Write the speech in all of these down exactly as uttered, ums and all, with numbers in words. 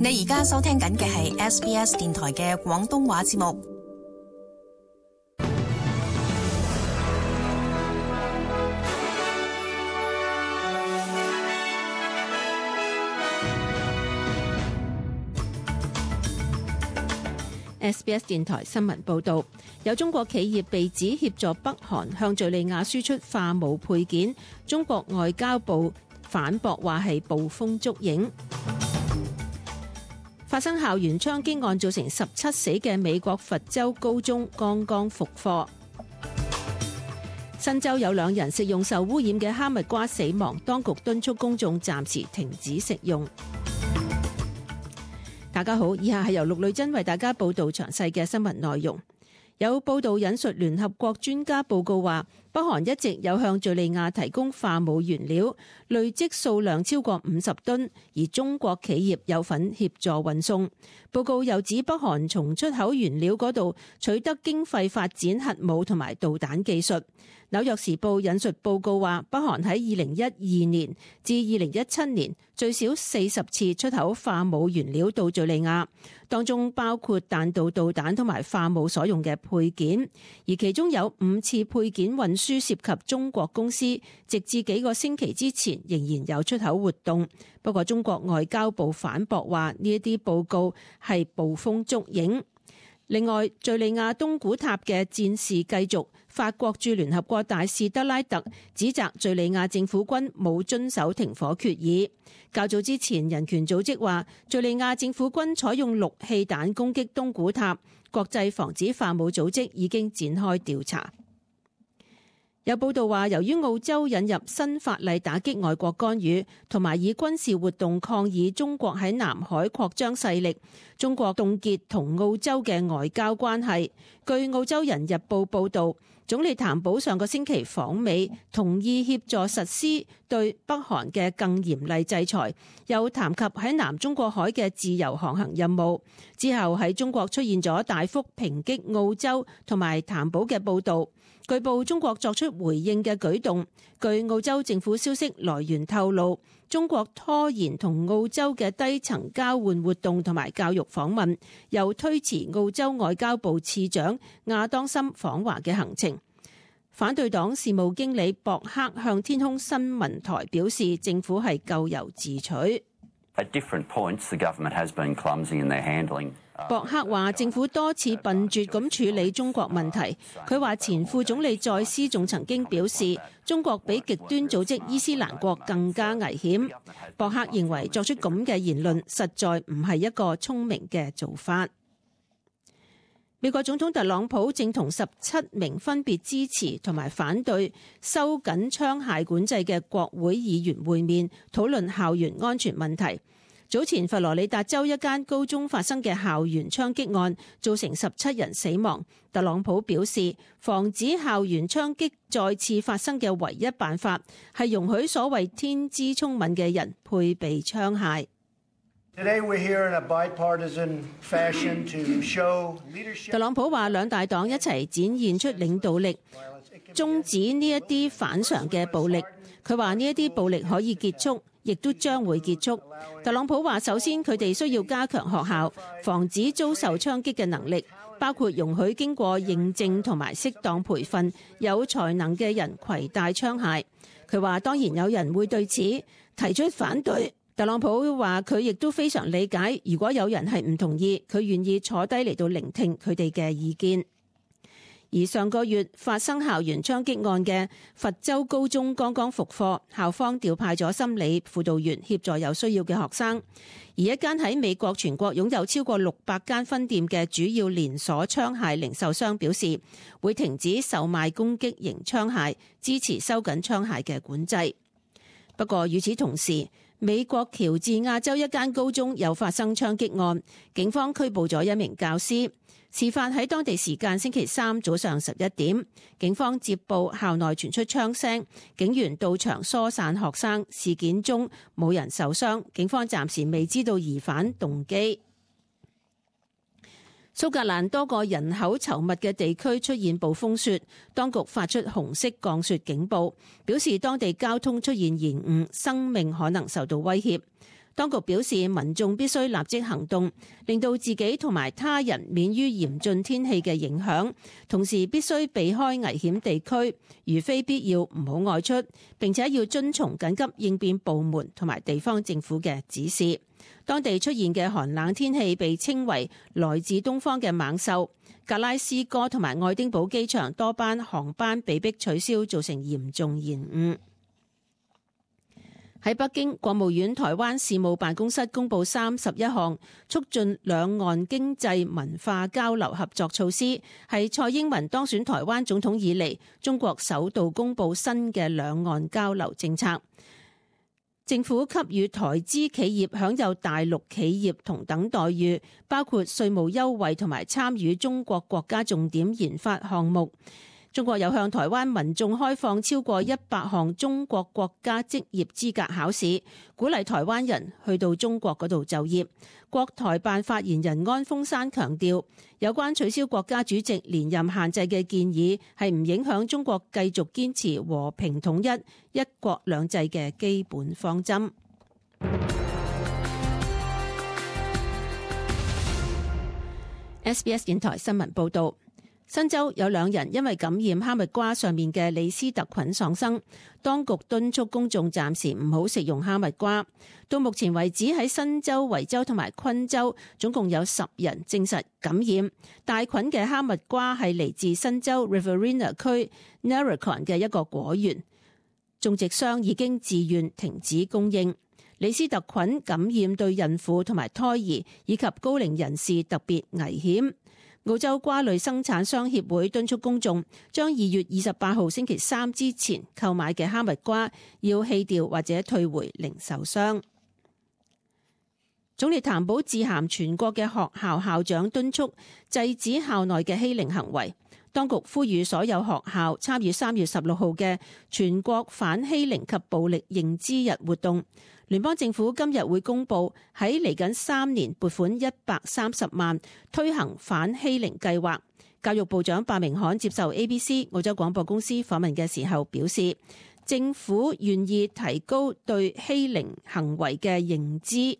你而家收聽緊嘅係 S B S 電台嘅廣東話節目。S B S 電台新聞報道，有中國企業被指協助北韓向敘利亞輸出化武配件，中國外交部反駁話係捕風捉影。發生校園槍擊案造成十七死嘅美國佛州高中剛剛復課。新州有兩人食用受污染嘅哈密瓜死亡，當局敦促公眾暫時停止食用。大家好，以下係由陸女珍為大家報道詳細嘅新聞內容。有報道引述聯合國專家報告話，北韓一直有向敘利亞提供化武原料，累積數量超過五十噸，而中國企業有份協助運送。報告又指北韓從出口原料嗰度取得經費發展核武同埋導彈技術。紐約時報引述報告話，北韓喺二零一二年至二零一七年最少四十次出口化武原料到敘利亞，當中包括彈道導彈同埋化武所用嘅配件，而其中有五次配件運輸涉及中國公司，直至幾個星期之前仍然有出口活動。不過中國外交部反駁話呢一啲報告係捕風捉影。另外，敘利亞東古塔嘅戰事繼續，法國駐聯合國大使德拉特指責敘利亞政府軍冇遵守停火決議。較早之前，人權組織話敘利亞政府軍採用氯氣彈攻擊東古塔，國際防止化武組織已經展開調查。有報道話，由於澳洲引入新法例打擊外國干預，同埋以軍事活動抗議中國喺南海擴張勢力，中國凍結同澳洲嘅外交關係。據澳洲人日報報導，總理譚寶上個星期訪美，同意協助實施對北韓嘅更嚴厲制裁，又談及喺南中國海嘅自由航行任務。之後喺中國出現咗大幅抨擊澳洲同埋譚寶嘅報導。據報中國作出回應嘅舉動。據澳洲政府消息來源透露，中國拖延同澳洲嘅低層交換活動同埋教育訪問，又推遲澳洲外交部次長亞當森訪華嘅行程。反對黨事務經理博克向天空新聞台表示，政府係咎由自取。At different points, the government has been clumsy in their handling. 博克話政府多次笨拙咁處理中國問題。佢話前副總理再斯仲曾經表示，中國比極端組織伊斯蘭國更加危險。博克認為作出咁嘅言論實在唔係一個聰明嘅做法。美國總統特朗普正同十七名分別支持同埋反對收緊槍械管制嘅國會議員會面，討論校園安全問題。早前佛羅里達州一間高中發生嘅校園槍擊案，造成十七人死亡。特朗普表示，防止校園槍擊再次發生嘅唯一辦法係容許所謂天資聰敏嘅人配備槍械。特朗普話兩大黨一齊展現出領導力，終止呢一啲反常嘅暴力。佢話呢一啲暴力可以結束，亦都將會結束。特朗普話首先佢哋需要加強學校防止遭受槍擊嘅能力，包括容許經過認證同埋適當培訓有才能嘅人攜帶槍械。佢話當然有人會對此提出反對。特朗普話佢亦都非常理解，如果有人係唔同意，佢願意坐低嚟到聆聽佢哋嘅意見。而上個月發生校園槍擊案嘅佛州高中剛剛復課，校方調派咗心理輔導員協助有需要嘅學生。而一間喺美國全國擁有超過六百間分店嘅主要連鎖槍械零售商表示，會停止售賣攻擊型槍械，支持收緊槍械嘅管制。不過與此同時，美國喬治亞州一間高中又發生槍擊案，警方拘捕咗一名教師。事發喺當地時間星期三早上十一點，警方接報校內傳出槍聲，警員到場疏散學生。事件中冇人受傷，警方暫時未知道疑犯動機。蘇格蘭多個人口稠密嘅地區出現暴風雪，當局發出紅色降雪警報，表示當地交通出現延誤，生命可能受到威脅。當局表示，民眾必須立即行動，令到自己同埋他人免於嚴峻天氣嘅影響，同時必須避開危險地區，如非必要唔好外出，並且要遵從緊急應變部門同埋地方政府嘅指示。當地出現嘅寒冷天氣被稱為來自東方嘅猛獸。格拉斯哥同埋愛丁堡機場多班航班被迫取消，造成嚴重延誤。喺北京，國務院台灣事務辦公室公布三十一項促進兩岸經濟文化交流合作措施，係蔡英文當選台灣總統以嚟中國首度公布新嘅兩岸交流政策。政府給予台資企業享有大陸企業同等待遇，包括稅務優惠同埋參與中國國家重點研發項目。中國有向台灣民眾開放超過一百項中國國家職業資格考試，鼓勵台灣人去到中國嗰度就業。國台辦發言人安峰山強調，有關取消國家主席連任限制嘅建議係唔影響中國繼續堅持和平統一、一國兩制嘅基本方針。S B S 電台新聞報道。新州有兩人因為感染哈密瓜上面嘅李斯特菌喪生，當局敦促公眾暫時唔好食用哈密瓜。到目前為止，喺新州、維州同埋昆州總共有十人證實感染。帶菌嘅哈密瓜係嚟自新州 Riverina 區 Narracon 嘅一個果園，種植商已經自願停止供應。李斯特菌感染對孕婦同埋胎兒以及高齡人士特別危險。澳洲瓜類生產商協會敦促公眾將二月二十八號星期三之前購買嘅哈密瓜要棄掉或者退回零售商。總理譚寶致函全國嘅學校校長，敦促制止校內嘅欺凌行為。當局呼籲所有學校參與三月十六號嘅全國反欺凌及暴力認知日活動。聯邦政府今日會公布喺嚟緊三年撥款一百三十萬推行反欺凌計劃。教育部長白明罕接受 A B C 澳洲廣播公司訪問嘅時候表示，政府願意提高對欺凌行為嘅認知。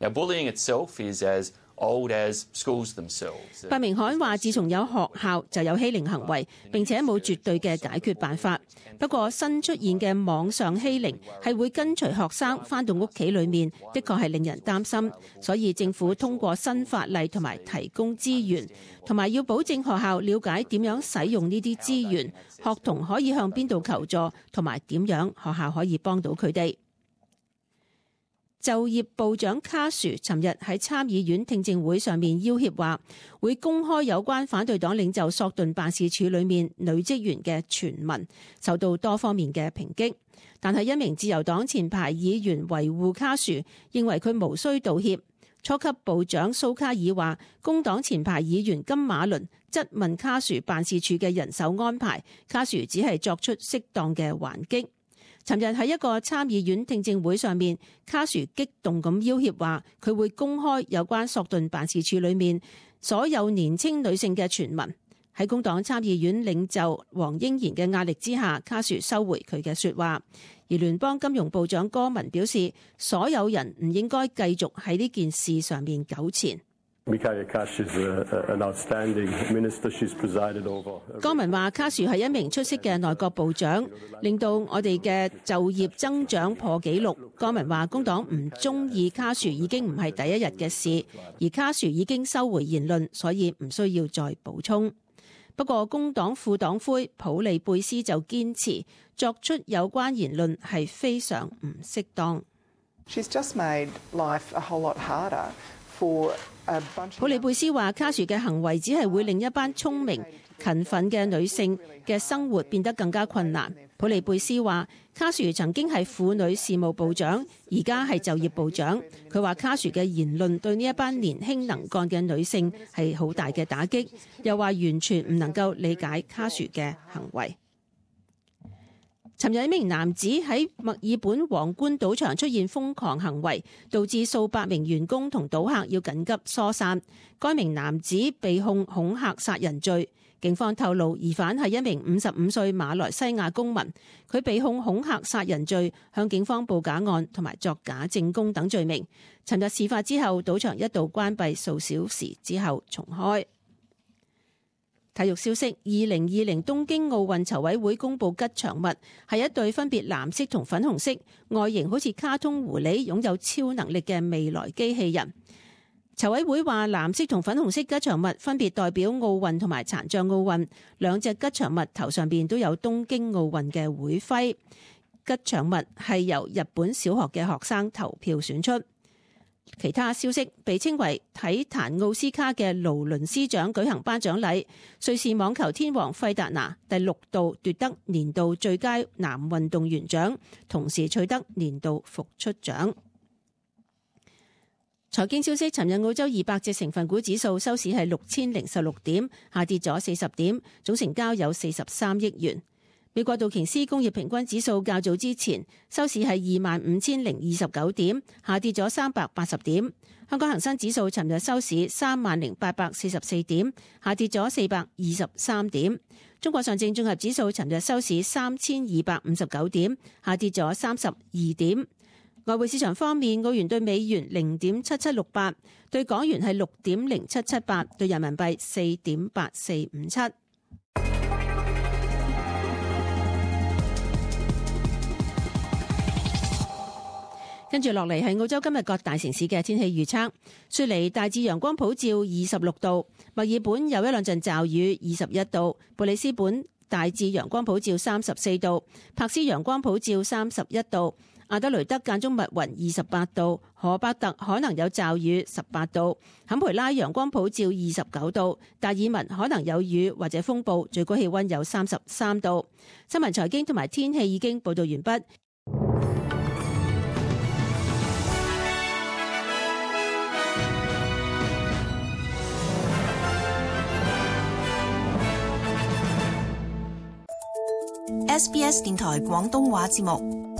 Now, bullying itself is as old as schools themselves. 白明罕話：自從有學校就有欺凌行為，並且冇絕對嘅解決辦法。不過新出現嘅網上欺凌係會跟隨學生返到屋企裏面，的確係令人擔心。所以政府通過新法例同埋提供資源，同埋要保證學校了解點樣使用呢啲資源，學童可以向邊度求助，同埋點樣學校可以幫到佢哋。就業部長卡殊尋日喺參議院聽證會上面要挾話，會公開有關反對黨領袖索頓辦事處裏面女職員嘅傳聞，受到多方面嘅抨擊。但係一名自由黨前排議員維護卡殊，認為佢無需道歉。初級部長蘇卡爾話，工黨前排議員金馬倫質問卡殊辦事處嘅人手安排，卡殊只係作出適當嘅還擊。尋日喺一個參議院聽證會上面，卡殊激動咁要挾話，佢會公開有關索頓辦事處裏面所有年輕女性嘅傳聞。喺工黨參議院領袖黃英賢嘅壓力之下，卡殊收回佢嘅說話。而聯邦金融部長戈文表示，所有人唔應該繼續喺呢件事上面糾纏。戈文話：卡殊係一名出色嘅內閣部長，令到我哋嘅就業增長破紀錄。戈文話：工黨唔中意卡殊已經唔係第一日嘅事，而卡殊已經收回言論，所以唔需要再補充。不過工黨副黨魁普利貝斯就堅持作出有關言論係非常唔適當。She's just made life a whole lot harder for a bunch of... 普利貝斯話：卡殊嘅行為只係會令一班聰明勤奮嘅女性嘅生活變得更加困難。普利貝斯話：卡殊曾經係婦女事務部長，而家係就業部長。佢話卡殊嘅言論對呢一班年輕能幹嘅女性係好大嘅打擊，又話完全唔能夠理解卡殊嘅行為。尋日一名男子喺墨爾本皇冠賭場出現瘋狂行為，導致數百名員工同賭客要緊急疏散。該名男子被控恐嚇殺人罪。警方透露，疑犯係一名五十五歲馬來西亞公民，佢被控恐嚇殺人罪、向警方報假案同埋作假證供等罪名。尋日事發之後，賭場一度關閉數小時之後重開。體育消息：二零二零東京奧運籌委會公布吉祥物係一對分別藍色同粉紅色、外形好似卡通狐狸、擁有超能力嘅未來機器人。籌委會話，藍色同粉紅色吉祥物分別代表奧運同埋殘障奧運，兩隻吉祥物頭上邊都有東京奧運嘅會徽。吉祥物係由日本小學嘅學生投票選出。其他消息：被稱為體壇奧斯卡嘅勞倫斯獎舉行頒獎禮，瑞士網球天王費達拿第六度奪得年度最佳男運動員獎，同時取得年度復出獎。財經消息：尋日澳洲二百隻成分股指數收市係六千零十六點，下跌咗四十點，總成交有四十三億元。美國道瓊斯工業平均指數較早之前收市係二萬五千零二十九點，下跌咗三百八十點。香港恒生指數尋日收市三萬零八百四十四點，下跌咗四百二十三點。中國上證綜合指數尋日收市三千二百五十九點，下跌咗三十二點。外匯市場方面，澳元對美元零點七七六八，對港元係六點零七七八，對人民幣四點八四五七。跟住落嚟係澳洲今日各大城市嘅天氣預測。雪梨大致陽光普照，二十六度；墨爾本有一兩陣驟雨，二十一度；布里斯本大致陽光普照，三十四度；柏斯陽光普照，三十一度；阿德雷德間中密雲，二十八度；荷伯特可能有驟雨，十八度；坎培拉陽光普照，二十九度；達爾文可能有雨或者風暴，最高氣溫有三十三度。新聞財經同埋天氣已經報道完畢。S B S 電台廣東話節目。